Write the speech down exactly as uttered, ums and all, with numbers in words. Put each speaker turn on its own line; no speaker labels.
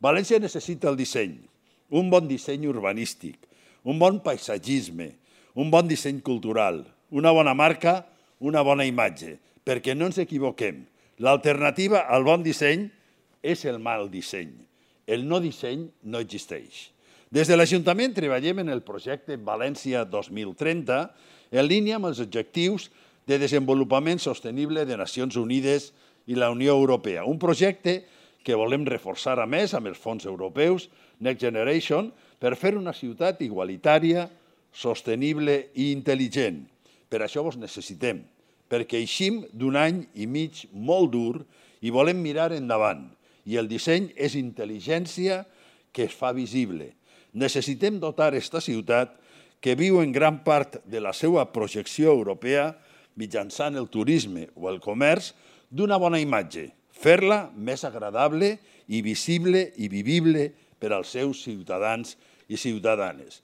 València necessita el disseny, un bon disseny urbanístic, un bon paisatgisme, un bon disseny cultural, una bona marca, una bona imatge, perquè no ens equivoquem. L'alternativa al bon disseny és el mal disseny. El no disseny no existeix. Des de l'Ajuntament treballem en el projecte València dos mil trenta en línia amb els objectius de desenvolupament sostenible de Nacions Unides i la Unió Europea. Un projecte que volem reforçar a més amb els fons europeus Next Generation per fer una ciutat igualitària, sostenible i intel·ligent. Per això vos necessitem, perquè eixim d'un any i mig molt dur i volem mirar endavant. I el disseny és intel·ligència que es fa visible. Necessitem dotar aquesta ciutat, que viu en gran part de la seva projecció europea mitjançant el turisme o el comerç, d'una bona imatge, fer-la més agradable i visible i vivible per als seus ciutadans i ciutadanes.